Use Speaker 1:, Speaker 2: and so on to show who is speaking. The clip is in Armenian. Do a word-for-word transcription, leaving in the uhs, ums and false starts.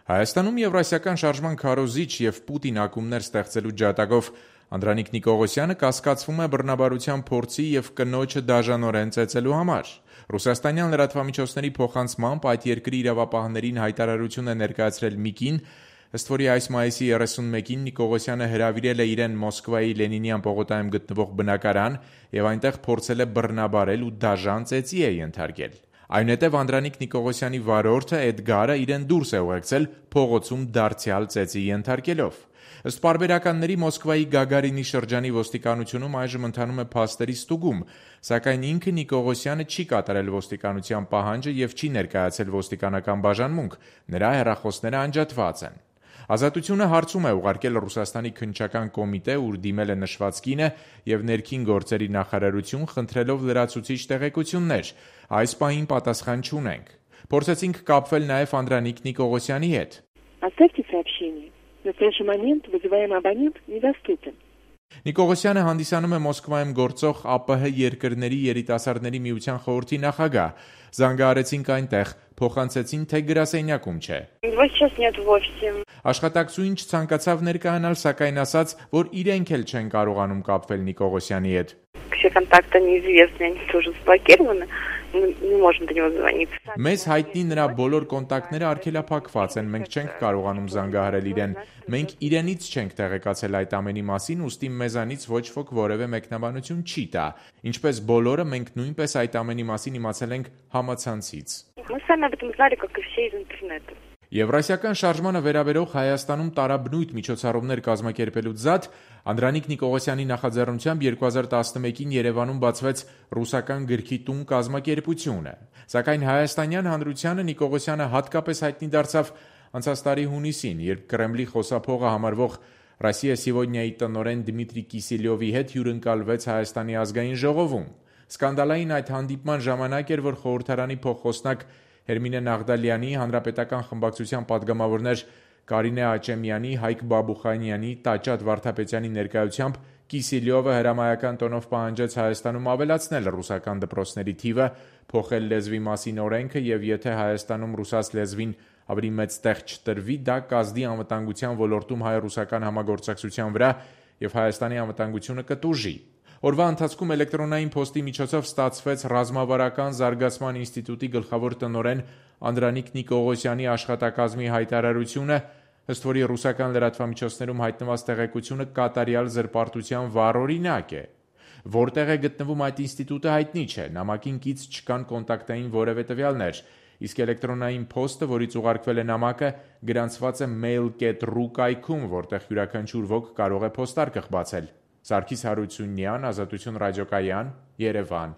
Speaker 1: Հայաստանում Եվրասիական շարժման քարոզիչ և Պուտին ակումբներ ստեղծելու ջատագով Անդրանիկ Նիկողոսյանը կասկածվում է բռնաբարության փորձի և կնոջը դաժանորեն ծեծելու համար։ Ռուսաստանյան լրատվամիջոցների փոխանցմամբ այդ երկրի իրավապահներին հայտարարություն է ներկայացրել մի կին, ըստ որի այս մայիսի երեսունմեկին Նիկողոսյանը հրավիրել է իրեն Մոսկվայի Լենինյան պողոտայում գտնվող բնակարան և այնտեղ փորձել է բռնաբարել ու դաժան ծեծի է ենթարկել։ Այնուհետև Անդրանիկ Նիկողոսյանի վարորդը Էդգարը իրեն դուրս է ուղեկցել փողոցում դարձյալ ծեծի ենթարկելով։ Ըստ պարբերականների Մոսկվայի Գագարինի շրջանի ոստիկանությունում այժմ ընթանում է փաստերի ստուգում, սակայն ինքը Նիկողոսյանը չի կատարել ոստիկանության պահանջը և չի ներկայացել ոստիկանական բաժանմունք, նրա հեռախոսները անջատված են։ Ազատությունը հարցում է ուղարկել Ռուսաստանի քննչական կոմիտե, ուր դիմել է նշված կինը և ներքին գործերի նախարարություն, խնդրելով լրացուցիչ տեղեկություններ։ Այս պահին պատասխան չունենք։ Փորձեցինք կապվել նաև Անդրանիկ Նիկողոսյանի հետ։
Speaker 2: Оставьте сообщение. В настоящий момент вызываемый абонент недоступен.
Speaker 1: Նիկողոսյանը հանդիսանում է Մոսկվայում գործող ԱՊՀ երկրների երիտասարդների միության խորհրդի նախագահ։ Զանգահարեցինք այնտեղ, փոխանցեցին, թե գրասենյակում չէ։ Աշխատակցուհին չցանկացավ ներկայանալ, սակայն ասաց, որ իրենք էլ չեն կարողանում կապվել Նիկողոսյանի հետ։ Մեզ հայտնի նրա բոլոր կոնտակտները արգելափակված են, մենք չենք կարողանում զանգահարել իրեն։ Մենք իրենից չենք տեղեկացել այդ ամենի մասին, ուստի մեզանից ոչ ոք որևէ մեկնաբանություն չի տա։ Ինչպես բոլորը, մենք նույնպես այդ ամենի մասին իմացել ենք համացանցից։ Եվրասիական շարժմանը վերաբերող Հայաստանում տարաբնույթ միջոցառումներ կազմակերպելուց զատ Անդրանիկ Նիկողոսյանի նախաձեռնությամբ երկու հազար տասնմեկին Երևանում բացվեց ռուսական գրքի տուն կազմակերպությունը։ Սակայն հայաստանյան հանրությանը Նիկողոսյանը հատկապես հայտնի դարձավ անցած տարի հունիսին, երբ Կրեմլի խոսափողը համարվող «Ռոսիա Սիվոդնիա»-ի տնօրեն Դմիտրի Կիսելյովի հետ հյուրընկալվեց Հայաստանի ազգային ժողովում։ Սկանդալային այդ հանդիպման ժամանակ էր, որ խորհրդարանի փոխխոսնակ Հերմինե Նաղդալյանի, հանրապետական խմբակցության պատգամավորներ Կարինե Աճեմյանի, Հայկ Բաբուխանյանի, Տաճատ Վարդապետյանի ներկայությամբ Կիսելյովը հրամայական տոնով պահանջեց Հայաստանում ավելացնել ռուսական դպրոցների թիվը, փոխել լեզվի մասին օրենքը և եթե Հայաստանում ռուսաց լեզվին ավելի մեծ տեղ չտրվի, դա կազդի անվտանգության ոլորտում հայ-ռուսական համագործակցության վրա և Հայաստանի անվտանգությունը կտուժի։ Օրվա ընթացքում էլեկտրոնային փոստի միջոցով ստացվեց Ռազմավարական զարգացման ինստիտուտի գլխավոր տնօրեն Անդրանիկ Նիկողոսյանի աշխատակազմի հայտարարությունը, ըստ որի ռուսական լրատվամիջոցներում հայտնված տեղեկությունը կատարյալ զրպարտության վառօրինակ է։ Որտեղ է գտնվում այդ ինստիտուտը հայտնի չէ, նամակին կից չկան կոնտակտային որևէ տվյալներ, իսկ էլեկտրոնային փոստը, որից ուղարկվել է նամակը, գրանցված է mail dot ru կայքում, որտեղ յուրաքանչյուր ոք կարող է փոստարկղ բացել։ Սարգիս Հարությունյան, Ազատություն ռադիոկայան, Երևան։